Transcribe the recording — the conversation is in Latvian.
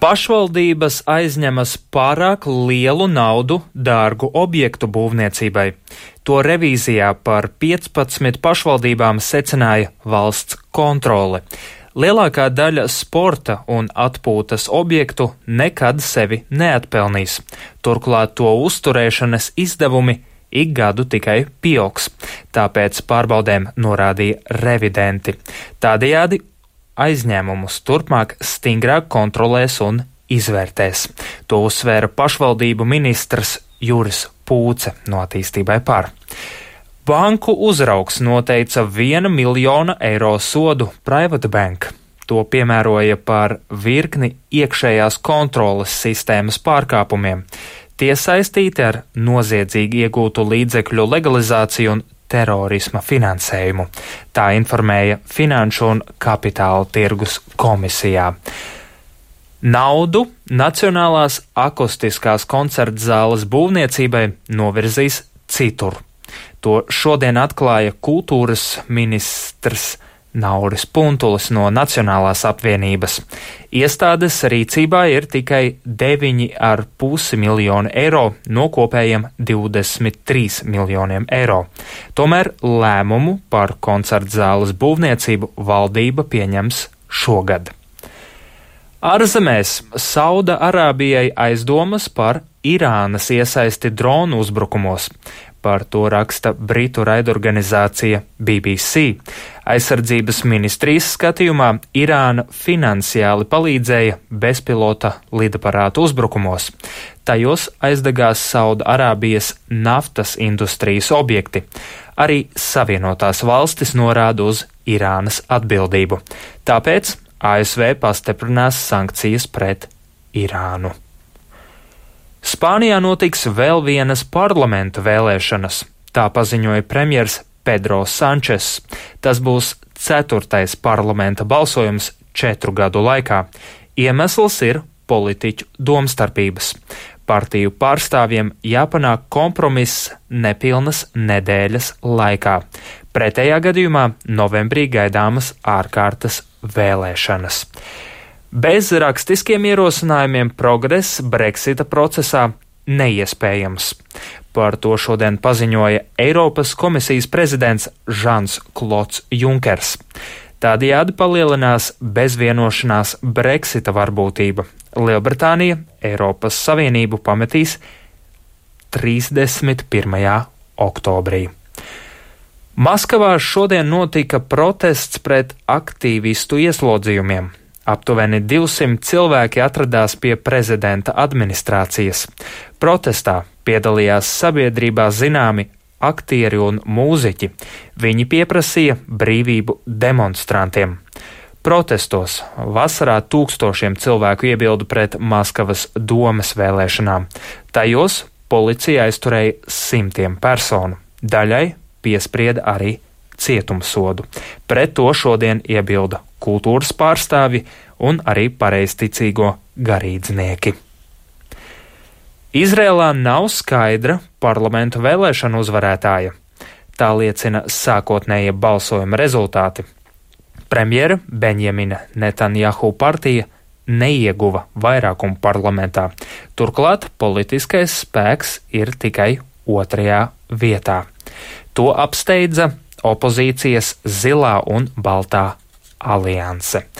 Pašvaldības aizņemas pārāk lielu naudu dārgu objektu būvniecībai. To revīzijā par 15 pašvaldībām secināja valsts kontrole. Lielākā daļa sporta un atpūtas objektu nekad sevi neatpelnīs. Turklāt to uzturēšanas izdevumi ik gadu tikai pieaugs. Tāpēc pārbaudēm norādīja revidenti. Tādējādi aizņēmumus turpmāk stingrāk kontrolēs un izvērtēs. To uzsvēra pašvaldību ministrs Juris Pūce no Attīstībai par. Banku uzraugs noteica 1 miljona eiro sodu Private Bank. To piemēroja par virkni iekšējās kontroles sistēmas pārkāpumiem. Tie saistīti ar noziedzīgi iegūtu līdzekļu legalizāciju un terorisma finansējumu. Tā informēja Finanšu un kapitāla tirgus komisijā. Naudu Nacionālās akustiskās koncerta zāles būvniecībai novirzīs citur. To šodien atklāja kultūras ministrs Nauris Puntulis no Nacionālās apvienības. Iestādes rīcībā ir tikai 9,5 miljoni eiro no kopējiem 23 miljoniem eiro. Tomēr lēmumu par koncerta zāles būvniecību valdība pieņems šogad. Ārzemēs Sauda-Arābijai aizdomas par Irānas iesaisti dronu uzbrukumos. Par to raksta britu raidorganizācija BBC. Aizsardzības ministrijas skatījumā Irāna finansiāli palīdzēja bezpilota lidaparātu uzbrukumos. Tajos aizdegās Sauda-Arābijas naftas industrijas objekti. Arī Savienotās valstis norāda uz Irānas atbildību. Tāpēc ASV pastiprinās sankcijas pret Irānu. Spānijā notiks vēl vienas parlamenta vēlēšanas, tā paziņoja premjers Pedro Sančes. Tas būs 4. parlamenta balsojums 4 gadu laikā. Iemesls ir politiķu domstarpības. Partiju pārstāvjiem jāpanāk kompromiss nepilnas nedēļas laikā. Pretējā gadījumā novembrī gaidāmas ārkārtas vēlēšanas. Bez rakstiskiem ierosinājumiem progress Brexita procesā neiespējams. Par to šodien paziņoja Eiropas komisijas prezidents Žans Klods Junkers. Tādējādi palielinās bezvienošanās Brexita varbūtība. Lielbritānija Eiropas Savienību pametīs 31. oktobrī. Maskavā šodien notika protests pret aktīvistu ieslodzījumiem. Aptuveni 200 cilvēki atradās pie prezidenta administrācijas. Protestā piedalījās sabiedrībā zināmi aktieri un mūziķi. Viņi pieprasīja brīvību demonstrantiem. Protestos vasarā tūkstošiem cilvēku iebilda pret Maskavas domes vēlēšanām. Tajos policija aizturēja 100 personu. Daļai piesprieda arī cietumsodu. Pret to šodien iebilda kultūras pārstāvji un arī pareizticīgo garīdznieki. Izrēlā nav skaidra parlamentu vēlēšanu uzvarētāja. Tā liecina sākotnējie balsojuma rezultāti. Premjera Benjamina Netanjahu partija neieguva vairākumu parlamentā. Turklāt politiskais spēks ir tikai 2. vietā. To apsteidza opozīcijas Zilā un Baltā alianse.